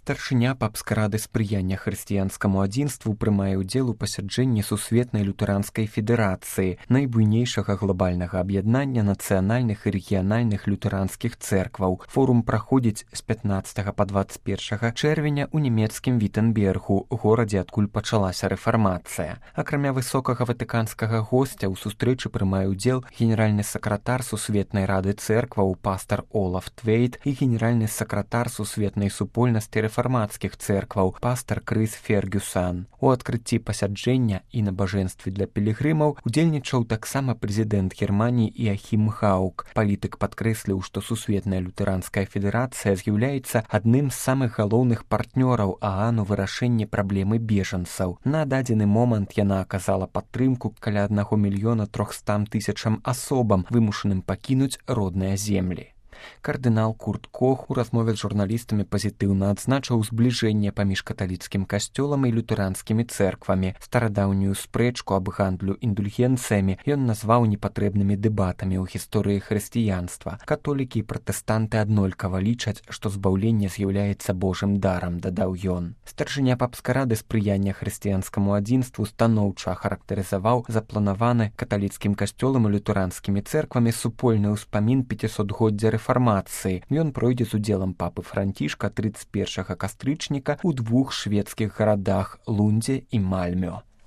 Старшыня папскай рады спрыяння хрысціянскаму адзінству прымае ўдзел у пасяджэнні Сусветнай лютэранскай федэрацыі, найбуйнейшага глобальнага аб'яднання нацыянальных і рэгіянальных лютэранскіх цэркваў. Форум праходзіць з 15 па 21 чэрвеня ў нямецкім Віттенбергу, горадзе, адкуль пачалася рэфармацыя. Акрамя высокага ватыканскага госця ў сустрэчы прымае ўдзел генеральны сакратар Сусветнай рады цэркваў пастар Олаф Твейт і генеральны сакратар Сусветнай супольнасці рэфармацкіх цэркваў пастар Крыс Фергюсан. У адкрыцці пасяджэння і набажэнстве для пілігрымаў удзельнічаў таксама прэзідэнт Германіі Іахім Гаук. Палітык падкрэсліў, што Сусветная лютэранская федэрацыя з'яўляецца адным з самых галоўных партнёраў ААН у вырашэнні праблемы бежанцаў. На дадзены момант яна аказала падтрымку каля 1 300 000 асобам, вымушаным пакінуць родныя землі. Кардынал Курт Кох у размове з журналістамі пазітыўна адзначыў збліжэнне паміж каталіцкім касцёлам і лютэранскімі цэрквамі. Старадаўнюю спрэчку аб гандлю індульгенцыямі ён назваў непатрэбнымі дэбатамі ў гісторыі хрысціянства. Католікі і пратэстанты аднолькава лічаць, што збаўленне з'яўляецца Божым дарам, дадаў ён. Старшыня папскай рады спрыяння хрысціянскаму адзінству станоўча ахарактарызаваў запланаваны каталіцкім касцёлам і лютэранскімі цэрквамі супольны ўспамін 500-годдзя рэфармацыі. Ён пройдзе з удзелам папы Францішка 31 кастрычніка ў 2 шведскіх гарадах Лундзе і Мальмё.